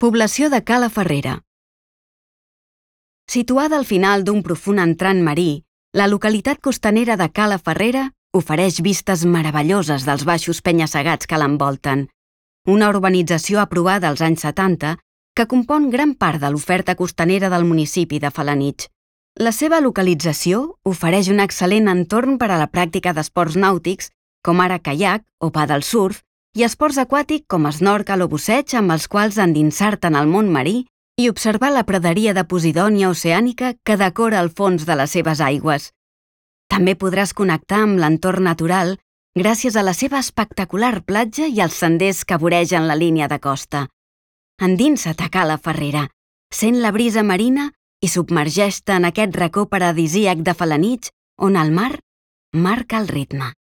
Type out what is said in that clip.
Població de Cala Ferrera. Situada al final d'un profund entrant marí, la localitat costanera de Cala Ferrera ofereix vistes meravelloses dels baixos penya-segats que l'envolten. Una urbanització aprovada als anys 70 que compon gran part de l'oferta costanera del municipi de Felanitx. La seva localització ofereix un excel·lent entorn per a la pràctica d'esports nàutics, com ara caiac o paddle surf, i esports aquàtics com snorkel o busseig amb els quals endinsar-te en el món marí i observar la praderia de posidònia oceànica que decora el fons de les seves aigües. També podràs connectar amb l'entorn natural gràcies a la seva espectacular platja i els senders que voregen la línia de costa. Endinsa't a Cala Ferrera, sent la brisa marina i submergeix-te en aquest racó paradisíac de Felanitx on el mar marca el ritme.